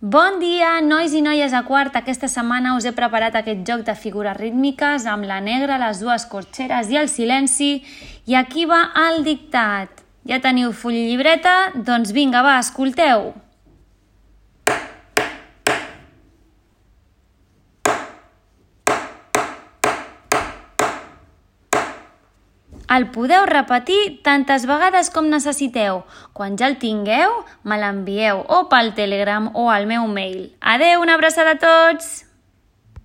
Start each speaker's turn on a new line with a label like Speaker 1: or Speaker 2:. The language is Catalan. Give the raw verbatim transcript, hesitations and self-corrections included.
Speaker 1: Bon dia, nois i noies a quart. Aquesta setmana us he preparat aquest joc de figures rítmiques amb la negra, les dues corxeres i el silenci. I aquí va el dictat. Ja teniu full i llibreta? Doncs vinga, va, escolteu. El podeu repetir tantes vegades com necessiteu. Quan ja el tingueu, me l'envieu o pel Telegram o al meu mail. Adeu, una abraçada a tots!